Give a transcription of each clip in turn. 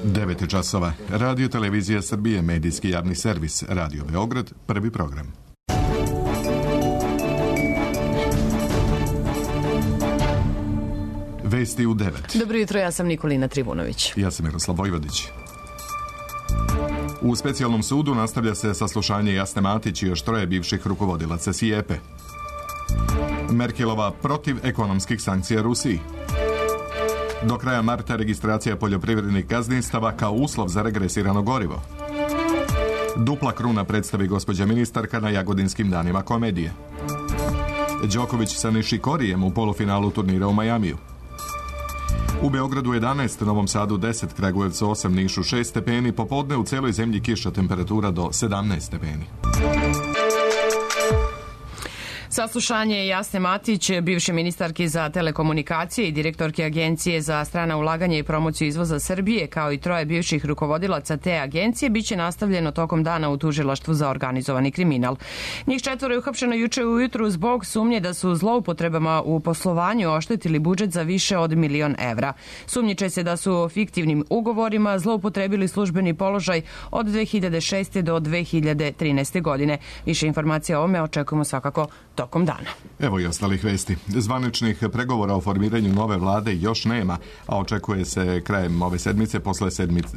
9 časova. Radio Televizija Srbije, medijski javni servis, Radio Beograd, prvi program. Vesti u 9. Dobro jutro, ja sam Nikolina Trivunović. Ja sam Miroslav Vojvodić. U specijalnom sudu nastavlja se saslušanje Jasne Matić i još 3 bivših rukovodilaca SIEPE. Merkelova protiv ekonomskih sankcija Rusiji. Do kraja marta registracija poljoprivrednih gazdinstava kao uslov za regresirano gorivo. Dupla kruna predstavi gospođa ministarka na Jagodinskim danima komedije. Đoković sa Nišikorijem u polufinalu turnira u Majamiju. U Beogradu 11, Novom Sadu 10, Kragujevcu 8, Nišu 6 stepeni, popodne u celoj zemlji kiša, temperatura do 17 stepeni. Saslušanje Jasne Matić, bivše ministarke za telekomunikacije i direktorke Agencije za strana ulaganja i promociju izvoza Srbije, kao i 3 bivših rukovodilaca te agencije, biće nastavljeno tokom dana u tužilaštvu za organizovani kriminal. Njih 4 je uhapšeno juče ujutru zbog sumnje da su zloupotrebama u poslovanju oštetili budžet za više od 1 milion evra. Sumnjiče se da su fiktivnim ugovorima zloupotrebili službeni položaj od 2006. do 2013. godine. Više informacija o ovome očekujemo svakako tokom dana. Evo i ostalih vesti. Zvaničnih pregovora o formiranju nove vlade još nema, a očekuje se krajem ove sedmice posle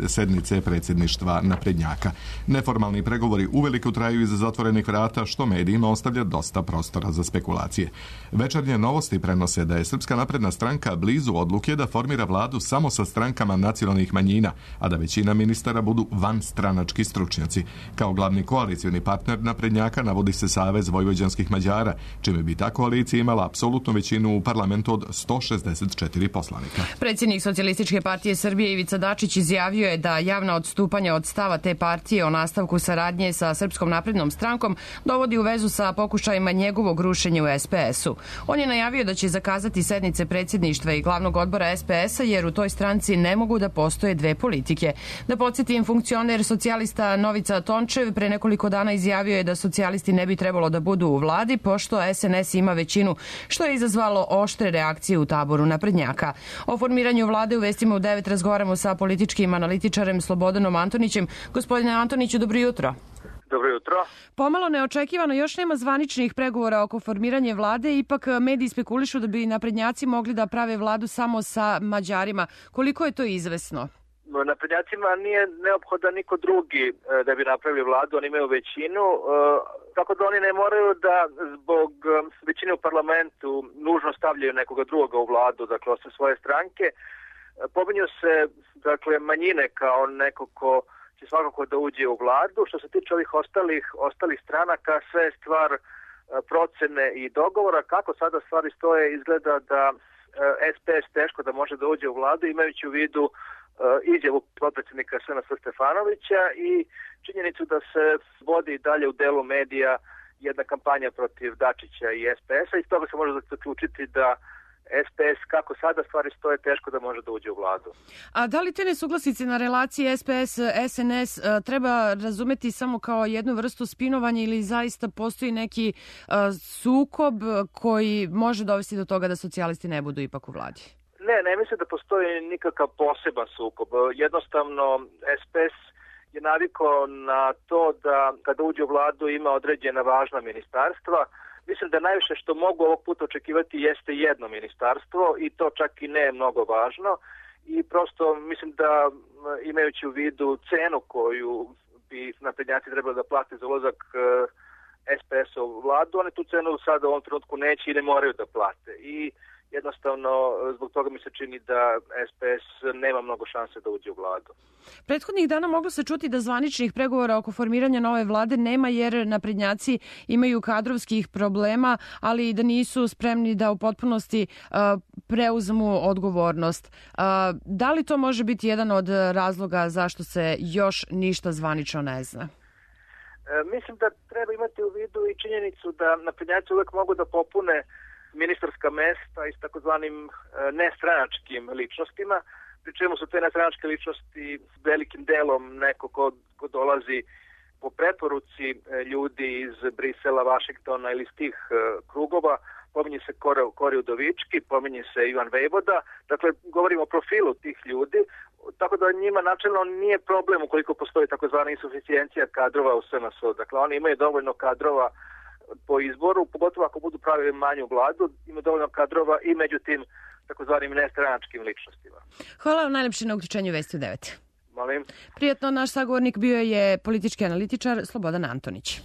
sednice predsjedništva naprednjaka. Neformalni pregovori uveliko traju iza zatvorenih vrata, što medijima ostavlja dosta prostora za spekulacije. Večernje novosti prenose da je Srpska napredna stranka blizu odluke da formira vladu samo sa strankama nacionalnih manjina, a da većina ministara budu vanstranački stručnjaci. Kao glavni koalicioni partner naprednjaka navodi se Savez vojvođanskih Mađara, čime bi ta koalicija imala apsolutnu većinu u parlamentu od 164 poslanika. Predsjednik Socijalističke partije Srbije Ivica Dačić izjavio je da javna odstupanja od stava te partije o nastavku saradnje sa Srpskom naprednom strankom dovodi u vezu sa pokušajima njegovog rušenja u SPS-u. On je najavio da će zakazati sednice predsjedništva i glavnog odbora SPS-a jer u toj stranci ne mogu da postoje 2 politike. Da podsjetim, funkcioner socijalista Novica Tončev pre nekoliko dana izjavio je da socijalisti ne bi trebalo da budu u vladi, pošto SNS ima većinu, što je izazvalo oštre reakcije u taboru naprednjaka. O formiranju vlade u vestima u 9 razgovaramo sa političkim analitičarem Slobodanom Antonićem. Gospodine Antoniću, dobro jutro. Dobro jutro. Pomalo neočekivano, još nema zvaničnih pregovora oko formiranja vlade, ipak mediji spekulišu da bi naprednjaci mogli da prave vladu samo sa Mađarima. Koliko je to izvesno? Naprednjacima nije neophodan niko drugi da bi napravili vladu, oni imaju većinu, tako da oni ne moraju da zbog većine u parlamentu nužno stavljaju nekoga drugoga u vladu, dakle osim svoje stranke. Pominju se manjine kao neko ko će svakako da uđe u vladu. Što se tiče ovih ostalih stranaka, sve je stvar procene i dogovora. Kako sada stvari stoje, izgleda da SPS teško da može da uđe u vladu, imajući u vidu izjavu potpredsjednika SNS Stefanovića i činjenicu da se vodi dalje u delu medija jedna kampanja protiv Dačića i SPS-a i iz toga se može zaključiti da SPS, kako sada stvari stoje, teško da može da uđe u vladu. A da li te nesuglasice na relaciji SPS-SNS treba razumeti samo kao jednu vrstu spinovanja ili zaista postoji neki sukob koji može dovesti do toga da socijalisti ne budu ipak u vladi? Ne mislim da postoji nikakav poseban sukob. Jednostavno, SPS je navikao na to da kada uđe u vladu ima određena važna ministarstva. Mislim da najviše što mogu ovog puta očekivati jeste jedno ministarstvo i to čak i ne je mnogo važno. I prosto mislim da imajući u vidu cenu koju bi naprednjaci trebali da plate za ulazak SPS-a u vladu, oni tu cenu sada u ovom trenutku neće i ne moraju da plate. I jednostavno, zbog toga mi se čini da SPS nema mnogo šanse da uđe u vladu. Prethodnih dana moglo se čuti da zvaničnih pregovora oko formiranja nove vlade nema jer naprednjaci imaju kadrovskih problema, ali da nisu spremni da u potpunosti preuzmu odgovornost. Da li to može biti jedan od razloga zašto se još ništa zvanično ne zna? Mislim da treba imati u vidu i činjenicu da naprednjaci uvek mogu da popune ministarska mesta i s takozvanim nestranačkim ličnostima, pri čemu su te nestranačke ličnosti velikim delom neko ko dolazi po preporuci ljudi iz Brisela, Vašingtona ili iz tih krugova, pominje se Kori Udovički, pominje se Ivan Vejvoda, dakle govorimo o profilu tih ljudi, tako da njima načelno nije problem ukoliko postoji takozvana insuficijencija kadrova u SNS-u. Dakle, oni imaju dovoljno kadrova po izboru, pogotovo ako budu pravili manju vladu, imaju dovoljno kadrova i među tim takozvanim nestranačkim ličnostima. Hvala vam najlepše na uključenju Vesti u 9. Molim. Prijatno, naš sagovornik bio je politički analitičar Slobodan Antonić.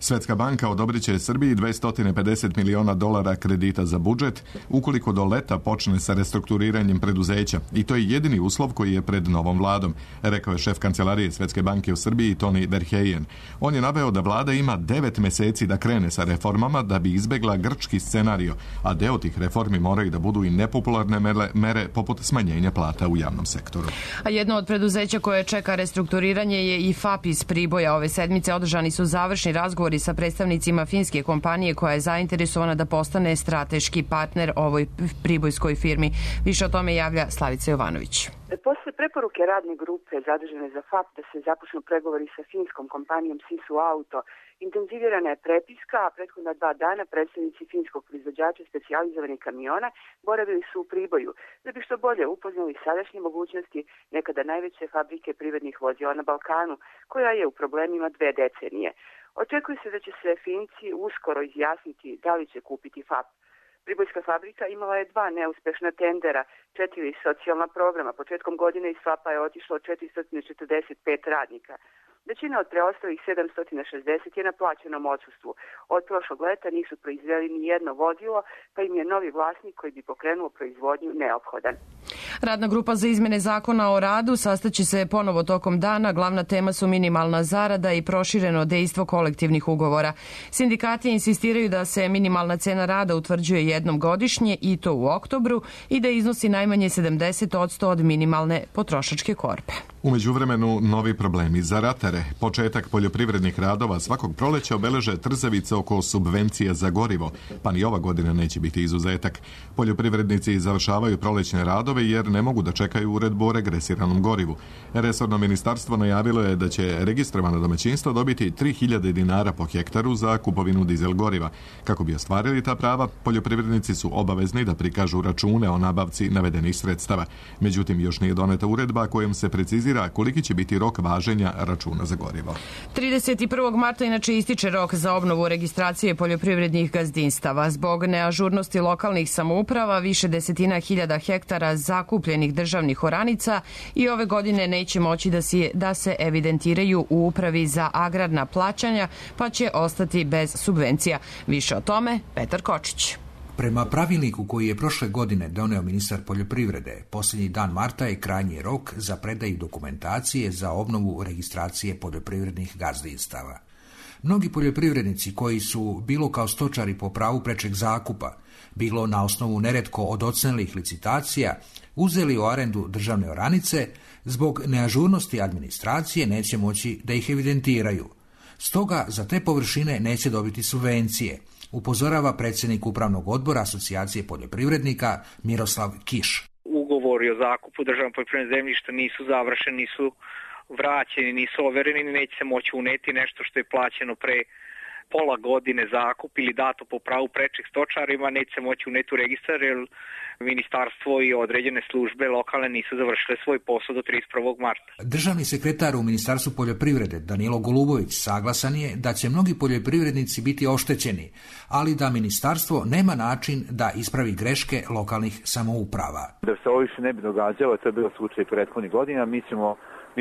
Svjetska banka odobrit će Srbiji $250 miliona kredita za budžet ukoliko do leta počne sa restrukturiranjem preduzeća i to je jedini uslov koji je pred novom vladom, rekao je šef kancelarije Svjetske banke u Srbiji Toni Verheyen. On je naveo da vlada ima 9 mjeseci da krene sa reformama da bi izbegla grčki scenario, a deo tih reformi moraju da budu i nepopularne mere poput smanjenja plata u javnom sektoru. A jedno od preduzeća koje čeka restrukturiranje je i FAP iz Priboja. Ove sedmice održani su završni razgovori sa predstavnicima finske kompanije koja je zainteresovana da postane strateški partner ovoj pribojskoj firmi. Više o tome javlja Slavica Jovanović. Posle preporuke radne grupe zadužene za FAP da se započnu pregovori sa finskom kompanijom Sisu Auto, intenzivirana je prepiska, a prethodna 2 dana predstavnici finskog proizvođača specijalizovanih kamiona boravili su u Priboju, da bi što bolje upoznali sadašnje mogućnosti nekada najveće fabrike privrednih vozila na Balkanu, koja je u problemima 2 decenije. Očekuje se da će se Finci uskoro izjasniti da li će kupiti FAP. Pribojska fabrika imala je 2 neuspešna tendera, 4 socijalna programa. Početkom godine iz FAP-a je otišlo 445 radnika. Većina od preostalih 760 je na plaćenom odsustvu. Od prošlog leta nisu proizveli ni jedno vozilo, pa im je novi vlasnik koji bi pokrenuo proizvodnju neophodan. Radna grupa za izmene zakona o radu sastaće se ponovo tokom dana. Glavna tema su minimalna zarada i prošireno dejstvo kolektivnih ugovora. Sindikati insistiraju da se minimalna cena rada utvrđuje jednom godišnje i to u oktobru i da iznosi najmanje 70% od minimalne potrošačke korpe. U međuvremenu novi problemi za ratare. Početak poljoprivrednih radova svakog proleća obeleže trzavice oko subvencija za gorivo, pa ni ova godina neće biti izuzetak. Poljoprivrednici završavaju prolećne radove jer ne mogu da čekaju uredbu o regresiranom gorivu. Resorno ministarstvo najavilo je da će registrovano domaćinstvo dobiti 3000 dinara po hektaru za kupovinu dizel goriva. Kako bi ostvarili ta prava, poljoprivrednici su obavezni da prikažu račune o nabavci navedenih sredstava. Međutim, još nije doneta uredba kojom se precizira koliki će biti rok važenja računa za gorivo. 31. marta inače ističe rok za obnovu registracije poljoprivrednih gazdinstava. Zbog neažurnosti lokalnih samouprava više desetina hiljada hektara zakupljenih državnih oranica i ove godine neće moći da se evidentiraju u Upravi za agrarna plaćanja, pa će ostati bez subvencija. Više o tome Petar Kočić. Prema pravilniku koji je prošle godine doneo ministar poljoprivrede, posljednji dan marta je krajnji rok za predaju dokumentacije za obnovu registracije poljoprivrednih gazdinstava. Mnogi poljoprivrednici koji su bilo kao stočari po pravu prečeg zakupa, bilo na osnovu neretko odocenelih licitacija, uzeli u arendu državne oranice, zbog neažurnosti administracije neće moći da ih evidentiraju. Stoga za te površine neće dobiti subvencije, upozorava predsjednik Upravnog odbora Asocijacije poljoprivrednika Miroslav Kiš. Ugovori o zakupu državnog poljoprivrednog zemljišta nisu završeni, nisu vraćeni, nisu overeni, neće se moći uneti nešto što je plaćeno pre pola godine zakup ili dato po pravu prečeg stočarima, neće se moći uneti u registar jer ministarstvo i određene službe lokalne nisu završile svoj posao do 31. marta. Državni sekretar u Ministarstvu poljoprivrede Danilo Golubović saglasan je da će mnogi poljoprivrednici biti oštećeni, ali da ministarstvo nema način da ispravi greške lokalnih samouprava. Da se ovo više ne bi događalo, to je bilo slučaj prethodnih godina, mi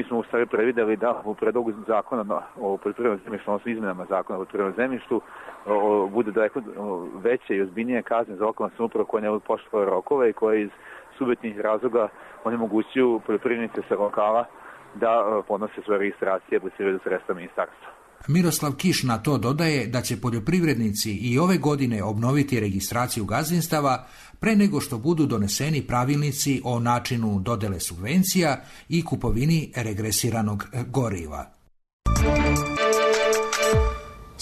smo u stvari prevideli da u predlogu zakona o poljoprivrednom zemljištu, odnosno izmenama zakona o poljoprivrednom zemljištu, bude daleko veće i ozbiljnije kazne za lokalnu samoupravu koje ne budu poštovale rokove i koje iz subjektivnih razloga onemogućuju poljoprivrednice sa lokala da podnose svoje registracije apliciraju za sredstva ministarstva. Miroslav Kiš na to dodaje da će poljoprivrednici i ove godine obnoviti registraciju gazdinstava pre nego što budu doneseni pravilnici o načinu dodele subvencija i kupovini regresiranog goriva.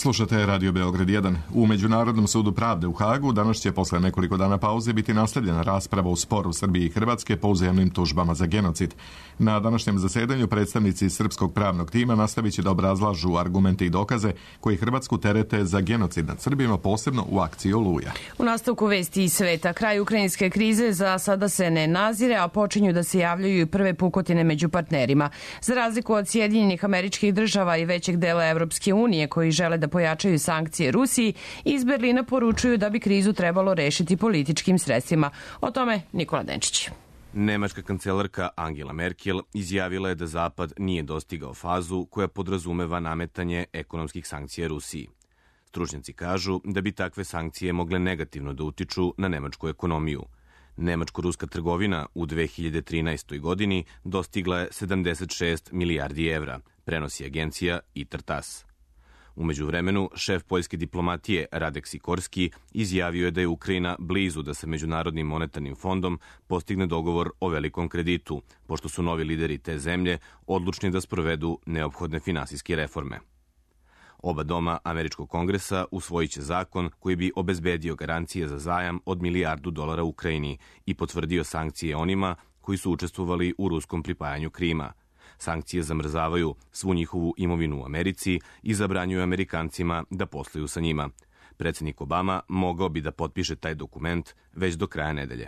Slušate Radio Beograd 1. U Međunarodnom sudu pravde u Hagu danas će posle nekoliko dana pauze biti nastavljena rasprava u sporu Srbije i Hrvatske po uzajamnim tužbama za genocid. Na današnjem zasedanju predstavnici srpskog pravnog tima nastavit će da obrazlažu argumente i dokaze koji Hrvatsku terete za genocid nad Srbima, posebno u akciji Oluja. U nastavku vesti iz sveta, kraj ukrajinske krize za sada se ne nazire, a počinju da se javljaju i prve pukotine među partnerima. Za razliku od Sjedinjenih Američkih Država i većeg dela Evropske unije koji žele da pojačaju sankcije Rusiji, iz Berlina poručuju da bi krizu trebalo rešiti političkim sredstvima. O tome Nikola Denčić. Nemačka kancelarka Angela Merkel izjavila je da Zapad nije dostigao fazu koja podrazumeva nametanje ekonomskih sankcija Rusiji. Stručnjaci kažu da bi takve sankcije mogle negativno da utiču na nemačku ekonomiju. Nemačko-ruska trgovina u 2013. godini dostigla je 76 milijardi evra, prenosi agencija ITAR-TASS. U međuvremenu, šef poljske diplomatije Radek Sikorski izjavio je da je Ukrajina blizu da sa Međunarodnim monetarnim fondom postigne dogovor o velikom kreditu, pošto su novi lideri te zemlje odlučni da sprovedu neophodne finansijske reforme. Oba doma Američkog kongresa usvojit će zakon koji bi obezbedio garancije za zajam od $1 milijardu Ukrajini i potvrdio sankcije onima koji su učestvovali u ruskom pripajanju Krima. Sankcije zamrzavaju svu njihovu imovinu u Americi i zabranjuju Amerikancima da posluju sa njima. Predsjednik Obama mogao bi da potpiše taj dokument već do kraja nedelje.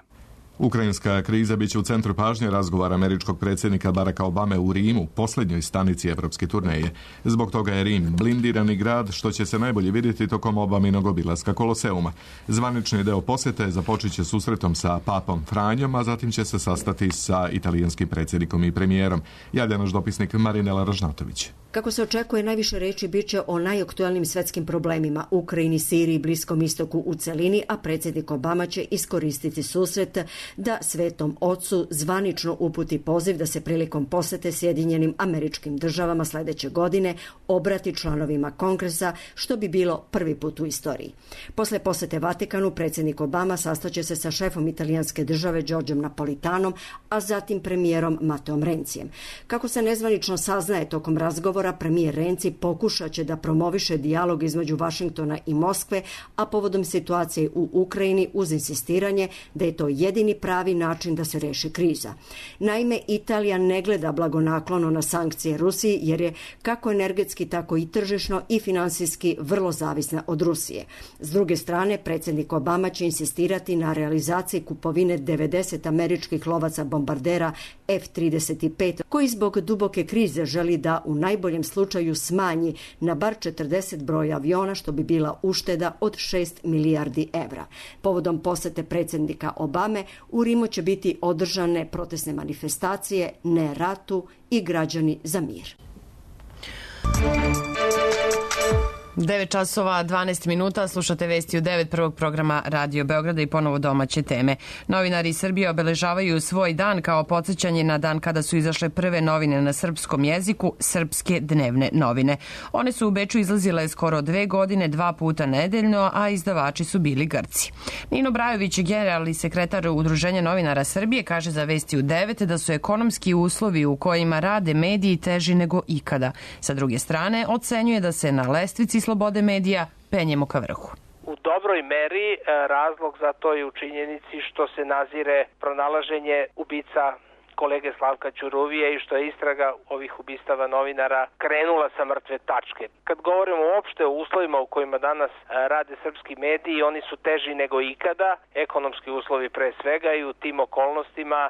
Ukrajinska kriza biće u centru pažnje razgovara američkog predsjednika Baracka Obame u Rimu, posljednjoj stanici evropske turneje. Zbog toga je Rim blindirani grad, što će se najbolje vidjeti tokom Obaminog obilaska Koloseuma. Zvanični deo posjete započet će susretom sa papom Franjom, a zatim će se sastati sa italijanskim predsjednikom i premijerom. Javlja naš dopisnik Marinela Ražnatović. Kako se očekuje, najviše reči biće o najaktualnim svetskim problemima, Ukrajini, Siriji, Bliskom istoku u celini, a predsjednik Obama će iskoristiti susret da Svetom Ocu zvanično uputi poziv da se prilikom posete Sjedinjenim Američkim Državama sledeće godine obrati članovima Kongresa, što bi bilo prvi put u istoriji. Posle posete Vatikanu, predsjednik Obama sastaće se sa šefom italijanske države Giorgiom Napolitanom, a zatim premijerom Mateom Rencijem. Kako se nezvanično saznaje tokom razgovora, premijer Renci pokušat će da promoviše dijalog između Vašingtona i Moskve, a povodom situacije u Ukrajini uz insistiranje da je to jedini pravi način da se reši kriza. Naime, Italija ne gleda blagonaklono na sankcije Rusiji jer je kako energetski, tako i tržišno i finansijski vrlo zavisna od Rusije. S druge strane, predsjednik Obama će insistirati na realizaciji kupovine 90 američkih lovaca bombardera F-35, koji zbog duboke krize želi da u najboljem slučaju smanji na bar 40 broja aviona, što bi bila ušteda od 6 milijardi evra. Povodom posete predsjednika Obame, u Rimu će biti održane protestne manifestacije Ne ratu i Građani za mir. 9 časova 12 minuta, slušate vesti u 9 prvog programa Radio Beograda i ponovo domaće teme. Novinari iz Srbije obeležavaju svoj dan kao podsjećanje na dan kada su izašle prve novine na srpskom jeziku, Srpske dnevne novine. One su u Beču izlazile skoro 2 godine, 2 puta nedeljno, a izdavači su bili Grci. Nino Brajović, generalni sekretar Udruženja novinara Srbije, kaže za vesti u 9 da su ekonomski uslovi u kojima rade mediji teži nego ikada. Sa druge strane, ocenjuje da se na lestvici slobode medija penjemo ka vrhu. U dobroj meri razlog za to je u činjenici što se nazire pronalaženje ubica kolege Slavka Ćuruvije i što je istraga ovih ubistava novinara krenula sa mrtve tačke. Kad govorimo uopšte o uslovima u kojima danas rade srpski mediji, oni su teži nego ikada, ekonomski uslovi pre svega, i u tim okolnostima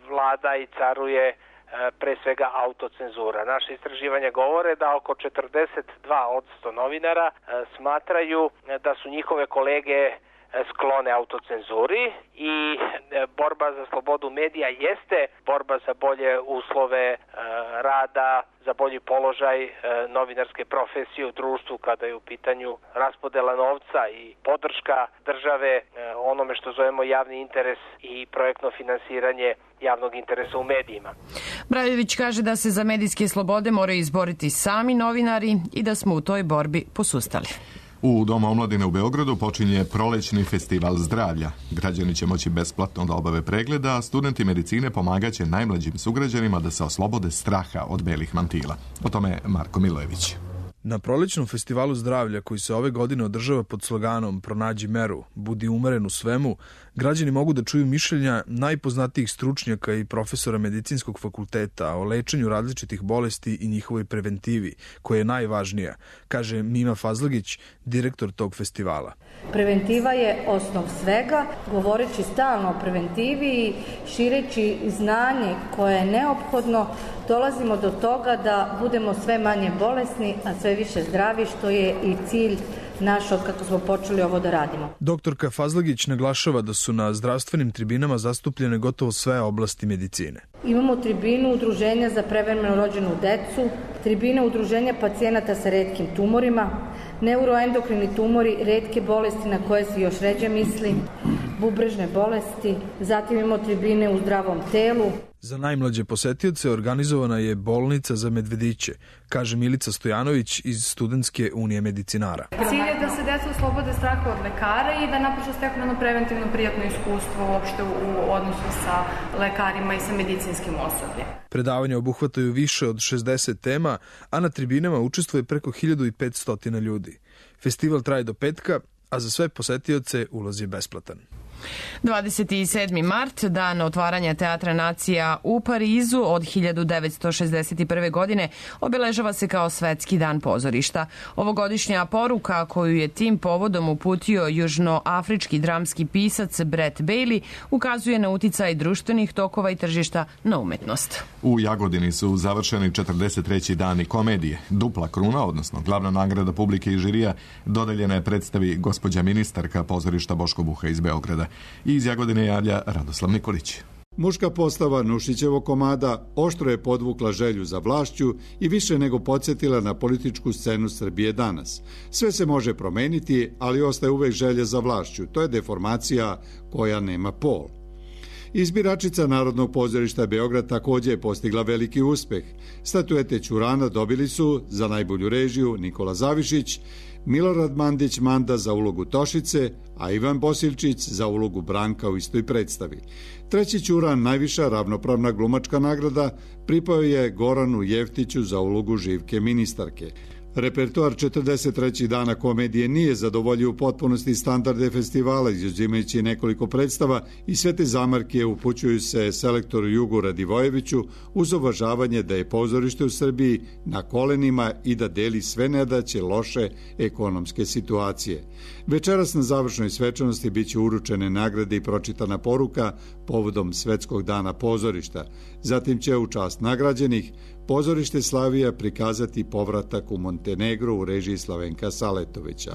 vlada i caruje pre svega autocenzura. Naše istraživanja govore da oko 42% novinara smatraju da su njihove kolege sklone autocenzuri i borba za slobodu medija jeste borba za bolje uslove rada, za bolji položaj novinarske profesije u društvu kada je u pitanju raspodela novca i podrška države onome što zovemo javni interes i projektno finansiranje javnog interesa u medijima. Brajović kaže da se za medijske slobode moraju izboriti sami novinari i da smo u toj borbi posustali. U Domu omladine u Beogradu počinje prolećni festival zdravlja. Građani će moći besplatno da obave pregleda, a studenti medicine pomagaće najmlađim sugrađanima da se oslobode straha od belih mantila. O tome Marko Milojević. Na prolećnom festivalu zdravlja koji se ove godine održava pod sloganom Pronađi meru, budi umeren u svemu, građani mogu da čuju mišljenja najpoznatijih stručnjaka i profesora medicinskog fakulteta o lečenju različitih bolesti i njihovoj preventivi, koja je najvažnija, kaže Mima Fazlagić, direktor tog festivala. Preventiva je osnov svega, govoreći stalno o preventivi i šireći znanje koje je neophodno, dolazimo do toga da budemo sve manje bolesni, a sve više zdravi, što je i cilj naš od kako smo počeli ovo da radimo. Doktorka Fazlagić naglašava da su na zdravstvenim tribinama zastupljene gotovo sve oblasti medicine. Imamo tribinu Udruženja za prevremeno rođenu decu, tribine Udruženja pacijenata sa retkim tumorima, neuroendokrini tumori, retke bolesti na koje se još ređe misli, bubrežne bolesti, zatim imamo tribine u zdravom telu. Za najmlađe posetioce organizovana je bolnica za medvediće, kaže Milica Stojanović iz Studentske unije medicinara. Cilj je da se deca oslobode straha od lekara i da naprosto steknu jedno preventivno prijatno iskustvo uopšte u odnosu sa lekarima i sa medicinskim osobljem. Predavanja obuhvataju više od 60 tema, a na tribinama učestvuje preko 1500 ljudi. Festival traje do petka, a za sve posetioce ulaz je besplatan. 27. mart, dan otvaranja Teatra nacija u Parizu od 1961. godine, obeležava se kao Svetski dan pozorišta. Ovogodišnja poruka koju je tim povodom uputio južnoafrički dramski pisac Brett Bailey ukazuje na uticaj društvenih tokova i tržišta na umetnost. U Jagodini su završeni 43. dani komedije. Dupla kruna, odnosno glavna nagrada publike i žirija, dodeljena je predstavi gospođa ministarka pozorišta Boško Buha iz Beograda. I iz Jagodine javlja Radoslav Nikolić. Muška postava Nušićevog komada oštro je podvukla želju za vlašću i više nego podsjetila na političku scenu Srbije danas. Sve se može promeniti, ali ostaje uvek želja za vlašću. To je deformacija koja nema pol. Izbiračica Narodnog pozorišta Beograd takođe je postigla veliki uspeh. Statuete Ćurana dobili su za najbolju režiju Nikola Zavišić, Milorad Mandić Manda za ulogu Tošice, a Ivan Bosilčić za ulogu Branka u istoj predstavi. Treći Ćuran, najviša ravnopravna glumačka nagrada, pripao je Goranu Jeftiću za ulogu Živke ministarke. Repertoar 43. dana komedije nije zadovoljio u potpunosti standarde festivala, izuzimajući nekoliko predstava i sve te zamarke upućuju se selektoru Jugu Radivojeviću uz uvažavanje da je pozorište u Srbiji na kolenima i da deli sve nedaće loše ekonomske situacije. Večeras na završnoj svečanosti biće uručene nagrade i pročitana poruka povodom Svetskog dana pozorišta. Zatim će u čast nagrađenih pozorište Slavija prikazati povratak u Montenegro u režiji Slavenka Saletovića.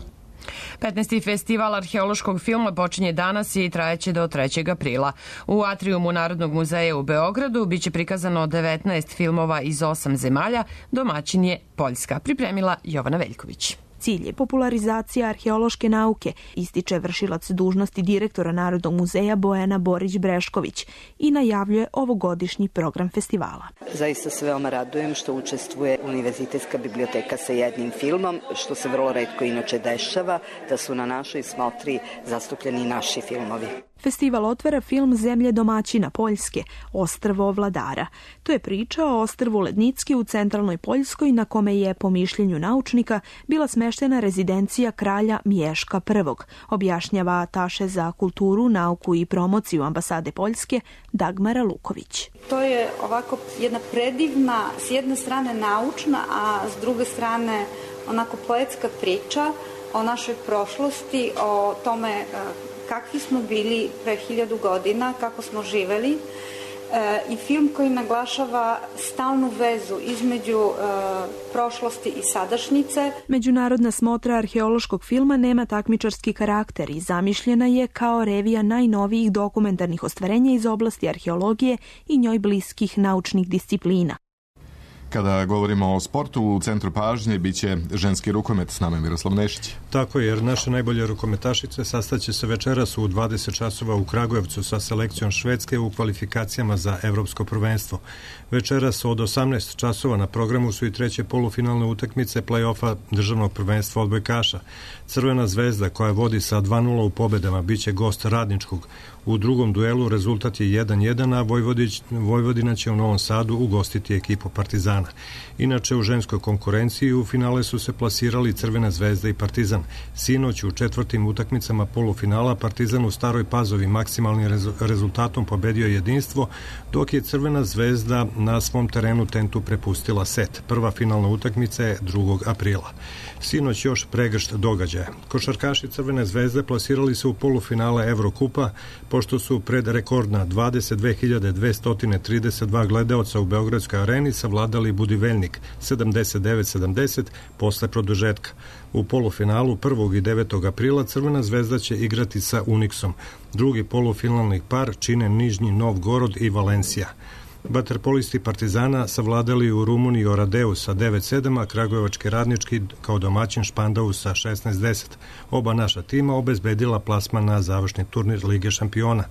15. festival arheološkog filma počinje danas i trajeće do 3. aprila. U atrijumu Narodnog muzeja u Beogradu biće prikazano 19 filmova iz 8 zemalja, domaćin je Poljska, pripremila Jovana Veljković. Cilj je popularizacija arheološke nauke, ističe vršilac dužnosti direktora Narodnog muzeja Bojana Borić-Brešković i najavljuje ovogodišnji program festivala. Zaista se veoma radujem što učestvuje Univerzitetska biblioteka sa jednim filmom, što se vrlo retko inače dešava, da su na našoj smotri zastupljeni naši filmovi. Festival otvara film Zemlje domaćina Poljske, Ostrvo Vladara. To je priča o ostrvu Lednicki u centralnoj Poljskoj na kome je, po mišljenju naučnika, bila smeštena rezidencija kralja Miješka I, objašnjava ataše za kulturu, nauku i promociju ambasade Poljske Dagmara Luković. To je ovako jedna predivna, s jedne strane naučna, a s druge strane onako poetska priča o našoj prošlosti, o tome kakvi smo bili pre 1000 godina, kako smo živeli, i film koji naglašava stalnu vezu između prošlosti i sadašnjice. Međunarodna smotra arheološkog filma nema takmičarski karakter i zamišljena je kao revija najnovijih dokumentarnih ostvarenja iz oblasti arheologije i njoj bliskih naučnih disciplina. Kada govorimo o sportu, u centru pažnje biće ženski rukomet, s nama je Miroslav Nešić. Tako je, jer naše najbolje rukometašice sastaće se večeras u 20 časova u Kragujevcu sa selekcijom Švedske u kvalifikacijama za evropsko prvenstvo. Večeras od 18 časova na programu su i treće polufinalne utakmice play-offa državnog prvenstva odbojkaša. Crvena zvezda, koja vodi sa 2:0 u pobedama, biće gost Radničkog. U drugom duelu rezultat je 1-1, a Vojvodina će u Novom Sadu ugostiti ekipu Partizana. Inače, u ženskoj konkurenciji u finale su se plasirali Crvena zvezda i Partizan. Sinoć u četvrtim utakmicama polufinala Partizan u Staroj Pazovi maksimalnim rezultatom pobedio Jedinstvo, dok je Crvena zvezda na svom terenu Tentu prepustila set. Prva finalna utakmica je 2. aprila. Sinoć još pregršt događaja. Košarkaši Crvene zvezde plasirali se u polufinale Evrokupa, pošto su pred rekordna 22.232 gledaoca u Beogradskoj areni savladali Budivelnik 79-70 posle produžetka. U polufinalu 1. i 9. aprila Crvena zvezda će igrati sa Uniksom. Drugi polufinalni par čine Nižnji Novgorod i Valencija. Vaterpolisti Partizana savladali u Rumuniji Oradeu sa 9-7, a Kragujevački Radnički kao domaćin Špandau sa 16-10. Oba naša tima obezbedila plasman na završni turnir Lige šampiona.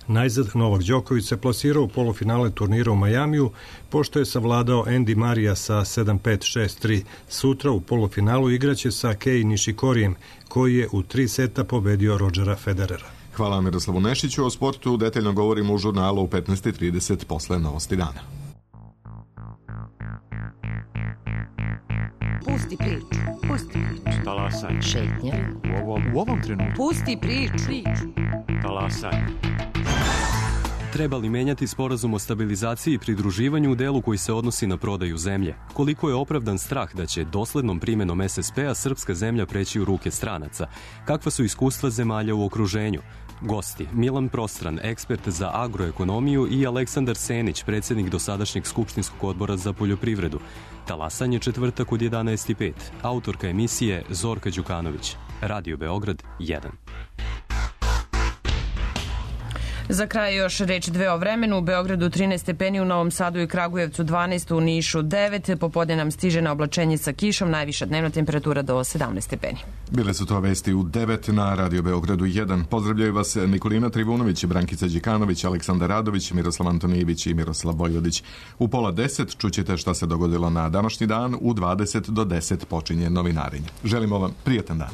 Najzad Novak Đoković se plasirao u polufinale turnira u Majamiju, pošto je savladao Andy Marija sa 7-5-6-3. Sutra u polufinalu igraće sa Kei Nishikorijem, koji je u 3 seta pobedio Rodgera Federera. Hvala Miroslavu Nešiću. O sportu detaljno govorimo u žurnalu u 15:30 posle Novosti dana. Pusti priču. Pusti priču. Talasaj. Šetnja. U ovom trenutku. Pusti priču. Talasaj. Treba li menjati sporazum o stabilizaciji i pridruživanju u delu koji se odnosi na prodaju zemlje? Koliko je opravdan strah da će doslednom primenom SSP-a srpska zemlja preći u ruke stranaca? Kakva su iskustva zemalja u okruženju? Gosti: Milan Prostran, ekspert za agroekonomiju, i Aleksandar Senić, predsjednik dosadašnjeg Skupštinskog odbora za poljoprivredu. Talasanje četvrtak od 11:05. Autorka emisije Zorka Đukanović. Radio Beograd 1. Za kraj još reč dve o vremenu. U Beogradu 13 stepeni, u Novom Sadu i Kragujevcu 12, u Nišu 9. Popodne nam stiže na oblačenje sa kišom, najviša dnevna temperatura do 17 stepeni. Bile su to vesti u 9 na Radio Beogradu 1. Pozdravljaju vas Nikolina Trivunović, Brankica Đikanović, Aleksandar Radović, Miroslav Antonijević i Miroslav Vojvodić. U 9:30 čućete šta se dogodilo na današnji dan. U 20 do 10 počinje novinarenje. Želimo vam prijatan dan.